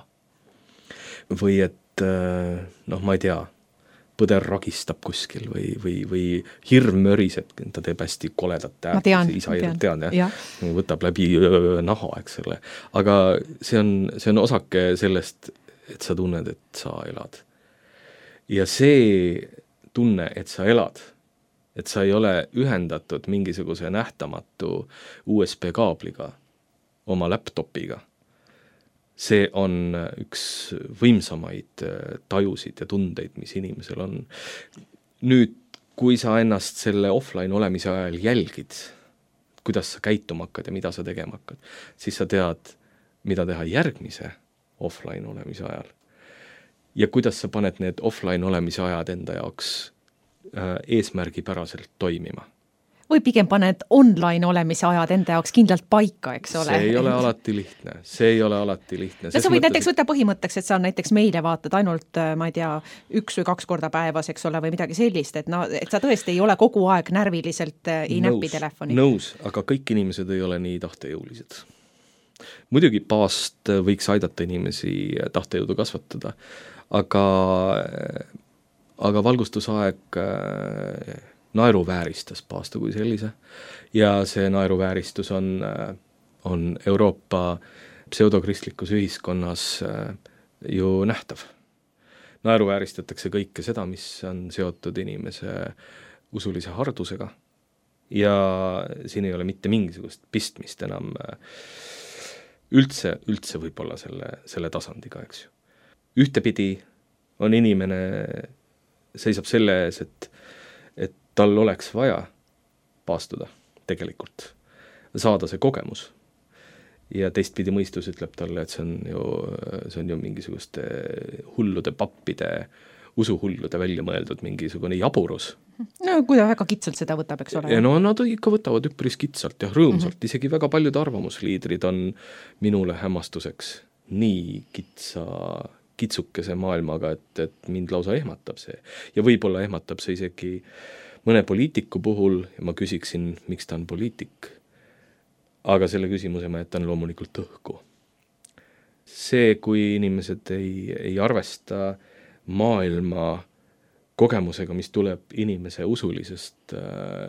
Või et, ma ei tea, põder ragistab kuskil või hirm möriseb, ta teeb hästi koledat äärt. Tean, võtab läbi naha, eks ole. Aga see on osake sellest, et sa tunned, et sa elad. Ja see tunne, et sa elad, et sa ei ole ühendatud mingisuguse nähtamatu USB-kaabliga oma laptopiga. See on üks võimsamaid tajusid ja tundeid, mis inimesel on. Nüüd, kui sa ennast selle offline olemise ajal jälgid, kuidas sa käituma hakkad ja mida sa tegema hakkad, siis sa tead, mida teha järgmise offline olemise ajal. Ja kuidas sa paned need offline olemise ajad enda jaoks eesmärgipäraselt toimima. Või pigem paned online olemise ajad enda jaoks kindlalt paika, eks ole? See ei ole alati lihtne. Sa võid näiteks võtta põhimõtteks, et sa näiteks meile vaatad ainult, ma ei tea, 1 või 2 korda päevas, eks ole, või midagi sellist, et sa tõesti ei ole kogu aeg närviliselt ei näpi telefoni. Nõus, aga kõik inimesed ei ole nii tahtejõulised. Muidugi paast võiks aidata inimesi tahtejõudu kasvatada, aga valgustusaeg naeruvääristas paastu kui sellise ja see naeruvääristus on Euroopa pseudokristlikus ühiskonnas ju nähtav. Naeruvääristatakse kõike seda, mis on seotud inimese usulise hardusega ja siin ei ole mitte mingisugust pistmist enam üldse võib-olla selle tasandiga, eks ju. Ühtepidi on inimene seisab selle ees, et tal oleks vaja paastuda tegelikult, saada see kogemus. Ja teistpidi mõistus ütleb talle, et see on ju mingisuguste hullude pappide, usuhullude välja mõeldud mingisugune jaburus. No kui ta väga kitsalt seda võtab, eks ole? Ja nad ikka võtavad üpris kitsalt ja rõõmsalt. Isegi väga paljud arvamusliidrid on minule hämmastuseks nii kitsukese maailmaga, et mind lausa ehmatab see. Ja võib-olla ehmatab see isegi mõne poliitiku puhul ja ma küsiksin, miks ta on poliitik. Aga selle küsimuse ma jätan loomulikult õhku. See, kui inimesed ei arvesta maailma kogemusega, mis tuleb inimese usulisest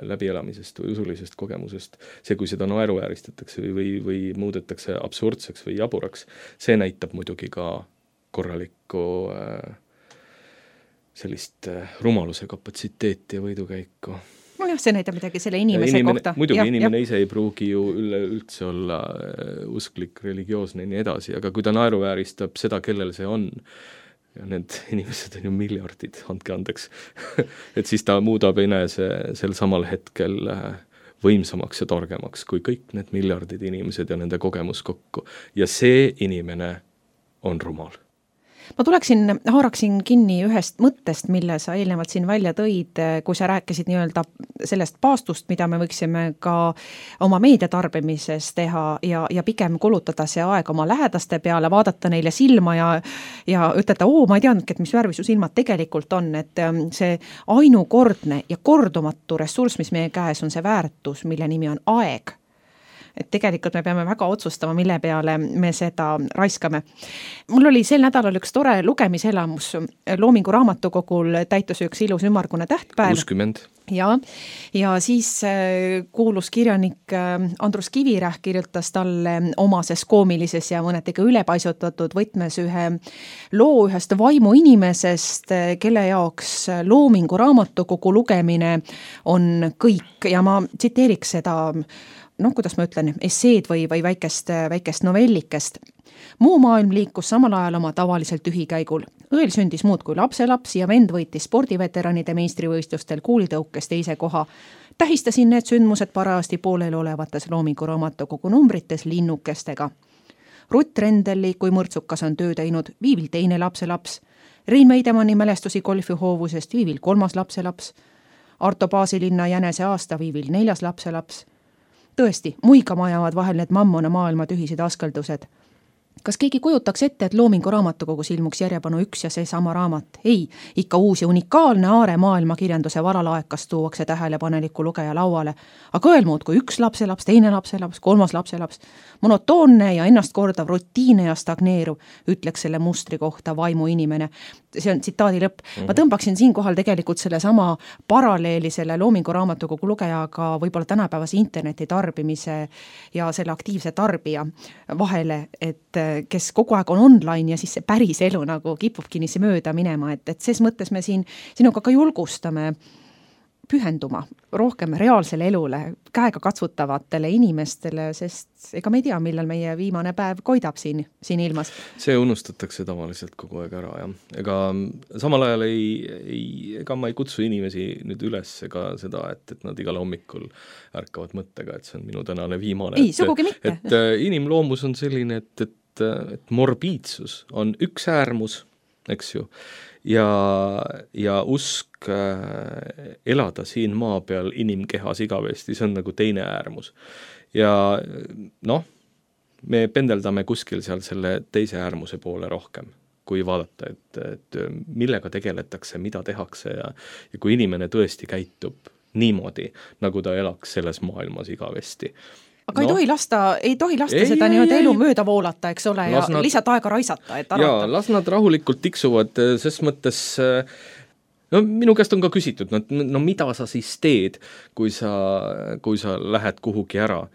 läbielamisest või usulisest kogemusest, see, kui seda naeruvääristatakse või muudetakse absurdseks või jaburaks, see näitab muidugi ka korralikku sellist rumaluse kapatsiteeti ja võidukäiku. nojah, see näitab midagi selle inimese kohta. Muidugi inimene ise ei pruugi ju üldse olla usklik, religioosne ja nii edasi, aga kui ta naeruvääristab seda, kellel see on, ja need inimesed on ju miljardid, andke andeks, et siis ta muudab enese sel samal hetkel võimsamaks ja torgemaks kui kõik need miljardid inimesed ja nende kogemus kokku. Ja see inimene on rumal. Ma haaraksin kinni ühest mõttest, mille sa eelnevalt siin välja tõid, kui sa rääkisid nii-öelda sellest paastust, mida me võiksime ka oma meediatarbimises teha ja pigem kulutada see aeg oma lähedaste peale, vaadata neile silma ja ütelda, ma ei teadnudki, et mis värvi su silmad tegelikult on, et see ainukordne ja kordumatu ressurss, mis meie käes on see väärtus, mille nimi on aeg. Et tegelikult me peame väga otsustama, mille peale me seda raiskame. Mul oli sel nädalal üks tore lugemiselamus. Loomingu raamatukogul täitus üks ilus ümmargune tähtpäev. 60. Ja siis kuulus kirjanik Andrus Kivirähk kirjutas talle omases koomilises ja mõnetega ülepaisutatud võtmes ühe loo ühest vaimu inimesest, kelle jaoks Loomingu raamatukogu lugemine on kõik. Ja ma tsiteeriks seda kuidas ma ütlen, esseed või väikest novellikest. Muu maailm liikus samal ajal oma tavaliselt ühikäigul. Õel sündis muud kui lapselaps ja vend võitis spordiveteranide meistrivõistlustel kuulitõukes teise koha. Tähistasin need sündmused parajasti poolel olevates Loomingu raamatukogu numbrites linnukestega. Rutt Rendelli, kui mõrtsukas on töö teinud, viivil teine lapselaps. Rein Meidemanni mälestusi golfihoovusest viivil 3. lapselaps. Arto Paasilinna jänese aasta viivil 4. lapselaps. Tõesti, muigama ajavad vahel need mammona maailma tühised askeldused. Kas keegi kujutaks ette, et Loomingu raamatukogus ilmuks järjepanu üks ja see sama raamat? Ei, ikka uus ja unikaalne aare maailma kirjanduse varalaekas tuuakse tähelepaneliku lugeja lauale. Aga öelmuud kui üks lapselaps, teine lapselaps, 3. lapselaps. Monotoonne ja ennast kordav rutiine ja stagneeruv, ütleks selle mustri kohta vaimu inimene. See on tsitaadi lõpp. Ma tõmbaksin siinkohal tegelikult selle sama paralleeli selle Loomingu raamatukogu lugejaga võib-olla tänapäevase interneti tarbimise ja selle aktiivse tarbija vahele, et kes kogu aeg on online ja siis see päris elu nagu kipubki niisse mööda minema, et ses mõttes me sinuga ka julgustame pühenduma rohkem reaalsele elule, käega katsutavatele inimestele, sest ega me ei tea, millal meie viimane päev koidab siin ilmas. See unustatakse tavaliselt kogu aeg ära, jah. Ega samal ajal ega ma ei kutsu inimesi nüüd üles ega seda, et nad igal hommikul ärkavad mõttega, et see on minu tänane viimane. Ei, sugugi mitte. Et inimloomus on selline, et morbiidsus on üks äärmus, eks ju, ja usk elada siin maa peal inimkehas igavesti, see on nagu teine äärmus. Ja me pendeldame kuskil seal selle teise äärmuse poole rohkem, kui vaadata, et millega tegeletakse, mida tehakse ja kui inimene tõesti käitub niimoodi, nagu ta elaks selles maailmas igavesti. Aga ei tohi lasta seda nii-öelda elu mööda voolata, eks ole, ja lihtsalt aega raisata, et arvata. Jaa, las nad rahulikult tiksuvad, ses mõttes, minu käest on ka küsitud, mida sa siis teed, kui sa lähed kuhugi ära,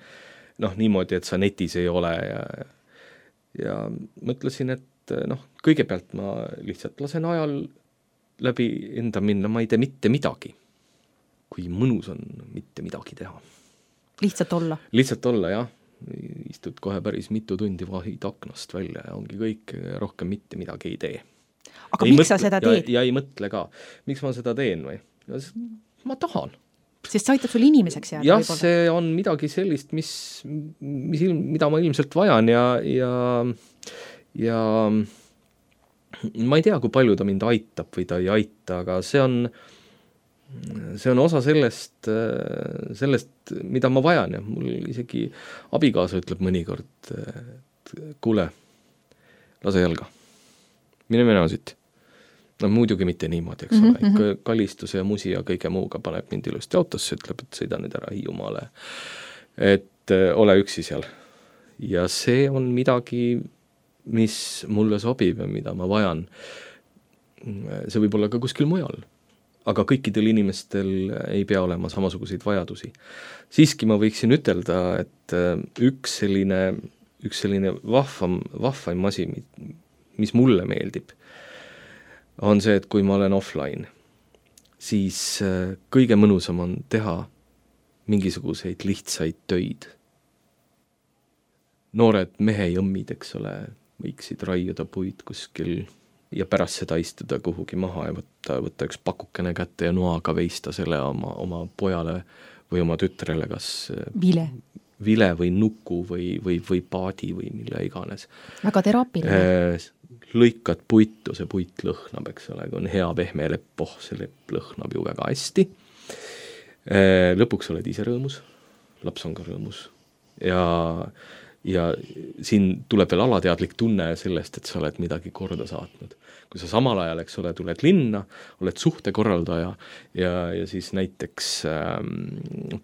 niimoodi, et sa netis ei ole ja mõtlesin, et kõigepealt ma lihtsalt lasen ajal läbi enda minna, ma ei tee mitte midagi, kui mõnus on mitte midagi teha. Lihtsalt olla, jah. Istud kohe päris mitu tundi vahid aknast välja ja ongi kõik, rohkem mitte midagi ei tee. Aga miks sa seda teed? Ja ei mõtle ka. Miks ma seda teen või? Ma tahan. Sest see aitab sul inimeseks jääda? Jah, see on midagi sellist, mida ma ilmselt vajan ja ma ei tea, kui palju ta mind aitab või ta ei aita, aga see on osa sellest, mida ma vajan ja mul isegi abikaasa ütleb mõnikord, et kuule, lase jalga, mine siit. Muidugi mitte niimoodi, eks ole, ikka kallistuse ja musi ja kõige muuga paneb mind ilusti autosse, ütleb, et sõida nüüd ära Hiiumaale, et ole üksi seal. Ja see on midagi, mis mulle sobib ja mida ma vajan. See võib olla ka kuskil mujal. Aga kõikidel inimestel ei pea olema samasuguseid vajadusi. Siiski ma võiksin ütelda, et üks selline vahvaim asi, mis mulle meeldib, on see, et kui ma olen offline, siis kõige mõnusam on teha mingisuguseid lihtsaid töid. Noored mehejõmmid, eks ole, võiksid raiuda puid kuskil ja pärast seda istuda kuhugi maha ja võtta üks pakukene kätte ja noaga veista selle oma pojale või oma tütrele, kas vile või nuku või paadi või mille iganes. Väga teraapiline. Lõikad puitu, see puit lõhnab, eks ole, kui on hea pehme lepp, see lepp lõhnab ju väga hästi. Lõpuks oled ise rõõmus, laps on ka rõõmus ja siin tuleb veel alateadlik tunne sellest, et sa oled midagi korda saatnud. Kui sa samal ajal, eks ole, tuled linna, oled suhtekorraldaja ja siis näiteks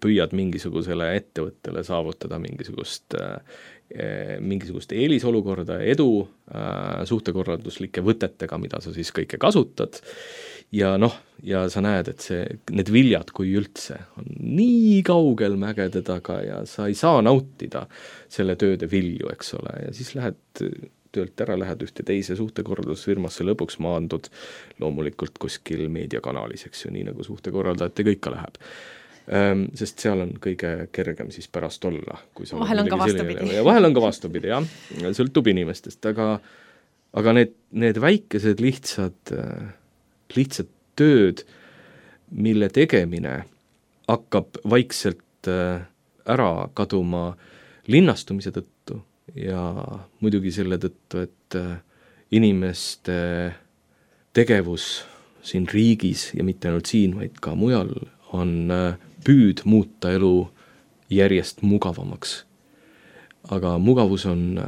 püüad mingisugusele ettevõttele saavutada mingisugust eelisolukorda, edu suhtekorralduslike võtetega, mida sa siis kõike kasutad. Ja ja sa näed, et need viljad, kui üldse, on nii kaugel mägede taga ja sa ei saa nautida selle tööde vilju, eks ole, ja siis lähed töölt ära, lähed ühte teise suhtekorraldusfirmasse, lõpuks maandud loomulikult kuskil meediakanalis, eks ju, nii nagu suhtekorraldajate kõik ka läheb. Sest seal on kõige kergem siis pärast olla. Vahel on ka vastupidi. Vahel on ka vastupidi, jah. Sõltub inimestest, aga need väikesed lihtsad tööd, mille tegemine hakkab vaikselt ära kaduma linnastumise tõttu ja muidugi selle tõttu, et inimeste tegevus siin riigis ja mitte ainult siin, vaid ka mujal on püüd muuta elu järjest mugavamaks. Aga mugavus on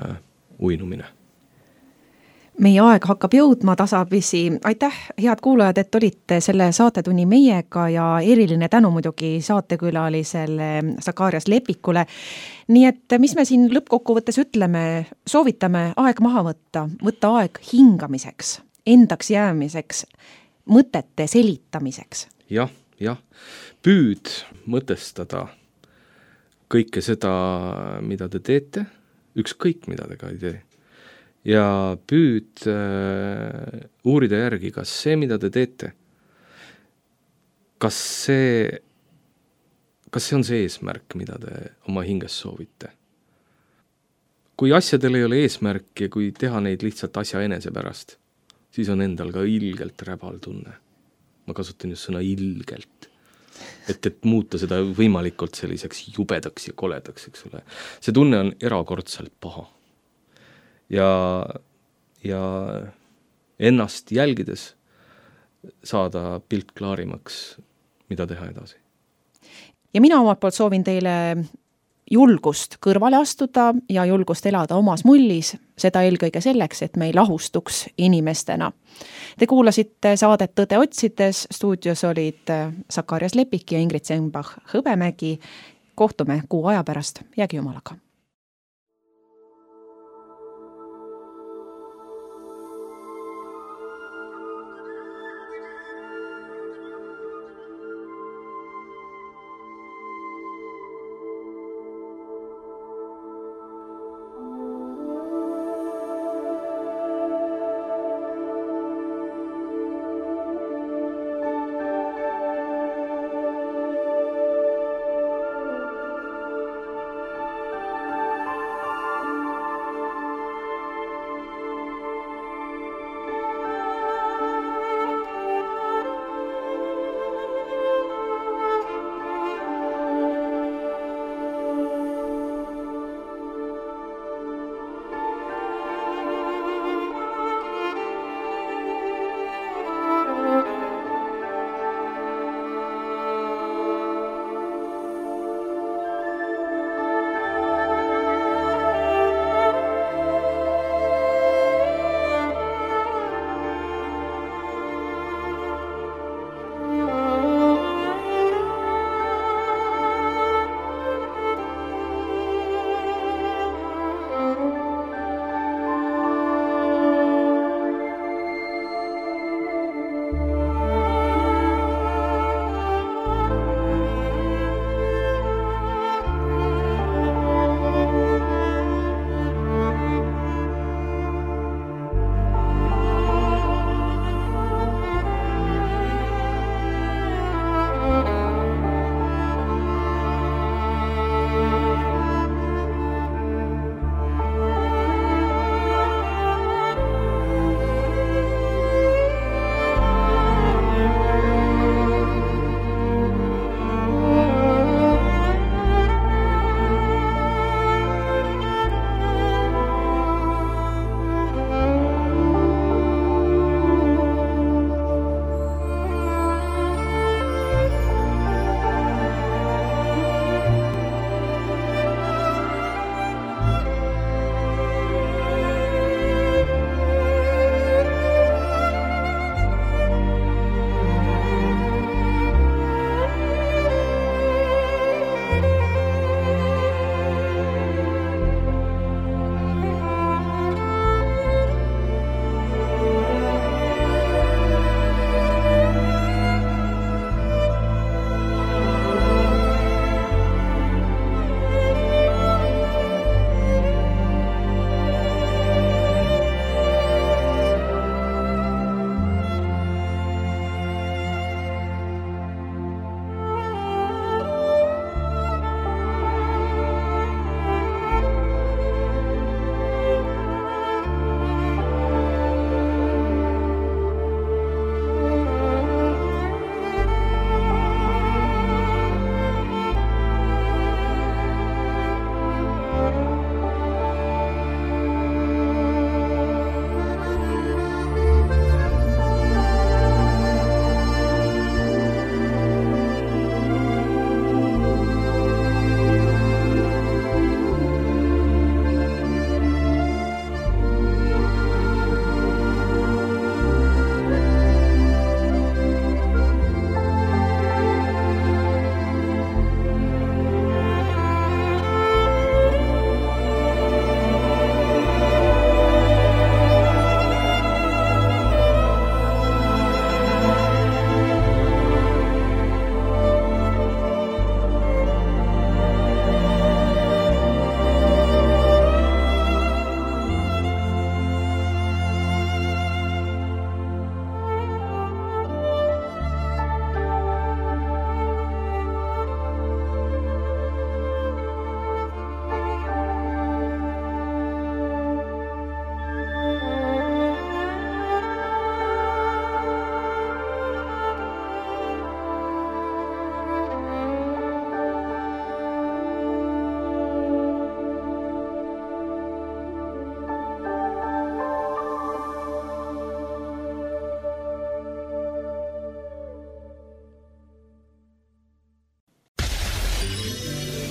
uinumine. Meie aeg hakkab jõudma tasapisi. Aitäh, head kuulajad, et olite selle saatetunni meiega ja eriline tänu muidugi saatekülalisele Sakarias Lepikule. Nii et mis me siin lõppkokkuvõttes ütleme, soovitame aeg maha võtta aeg hingamiseks, endaks jäämiseks, mõtete selitamiseks. Jah, püüd mõtestada kõike seda, mida te teete, ükskõik mida te ka ei tee. Ja püüd uurida järgi, kas see, mida te teete, kas see on see eesmärk, mida te oma hinges soovite. Kui asjadel ei ole eesmärk ja kui teha neid lihtsalt asja enese pärast, siis on endal ka ilgelt räbal tunne. Ma kasutan just sõna ilgelt. Et muuta seda võimalikult selliseks jubedaks ja koledaks, eks ole. See tunne on erakordselt paha. Ja ennast jälgides saada pilt klaarimaks, mida teha edasi. Ja mina omalt poolt soovin teile julgust kõrvale astuda ja julgust elada omas mullis, seda eelkõige selleks, et me ei lahustuks inimestena. Te kuulasite saadet Tõde otsides, stuudios olid Sakarias Lepik ja Ingrid Senbach-Hõbemägi. Kohtume kuu aja pärast, jäägi jumalaga.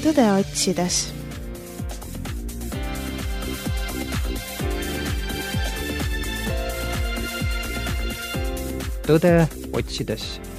tõde otsides. Tõde otsides.